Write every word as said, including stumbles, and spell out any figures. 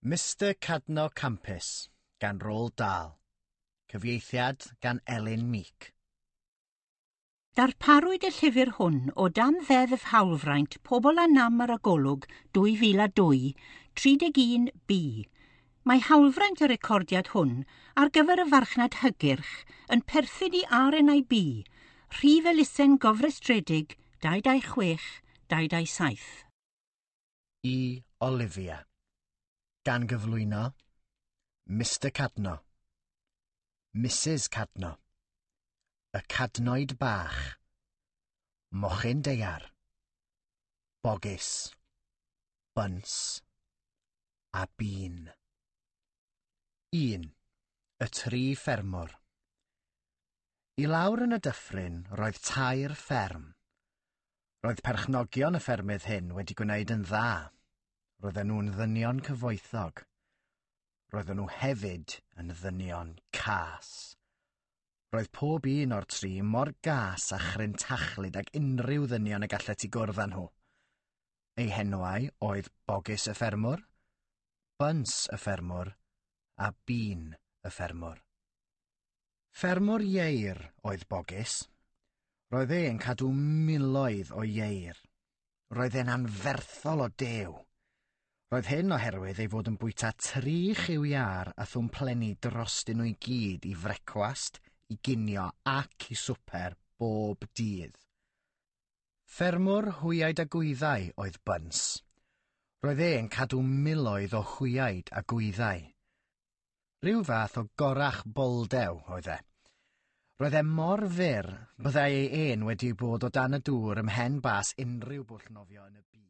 Mister Cadno Campus gan Roald Dahl. Cyfieithiad gan Elin Meek. Darparwyd y llyfr hwn o dan Ddeddf Hawlfraint Pobl â Nam ar y Golwg dwy fil a dwy, tri deg un B. Mae hawlfraint y recordiad hwn ar gyfer y farchnad hygyrch yn perthyn i R N I B, rhif elusen gofrestredig dau dau chwech dau dau saith. I Olivia. Gan gyflwyno Mister Cadno, Missus Cadno, y Cadnoid Bach, Mochyn Daear, Bogys, Buns a Bean. Un. Y tri ffermwr. I lawr yn y dyffryn roedd tair fferm. Roedd perchnogion y ffermydd hyn wedi gwneud yn dda. Roedden nhw'n ddynion cyfoethog. Roedden nhw hefyd yn ddynion cas. Roedd pob un o'r tri mor gas a chrintachlyd ag unrhyw ddynion y gallet ti gwrdd â nhw. Eu henwau oedd Bogys y ffermwr, Buns y ffermwr a Bean y ffermwr. Ffermwr ieir oedd Bogys. Roedd e'n cadw miloedd o ieir. Roedd e'n anferthol o dew. Roedd hyn oherwydd ei fod yn bwyta tri chyw iâr a thwmplenni drostyn nhw i gyd i frecwast, i ginio ac i swper bob dydd. Ffermwr hwyaid a gwyddau oedd Buns. Roedd e'n cadw miloedd o hwyaid a gwyddau. Rhyw fath o gorach boldew oedd e. Roedd e mor fyr byddai ei ên wedi bod o dan y dŵr ym mhen bas unrhyw bwll nofio yn y byd.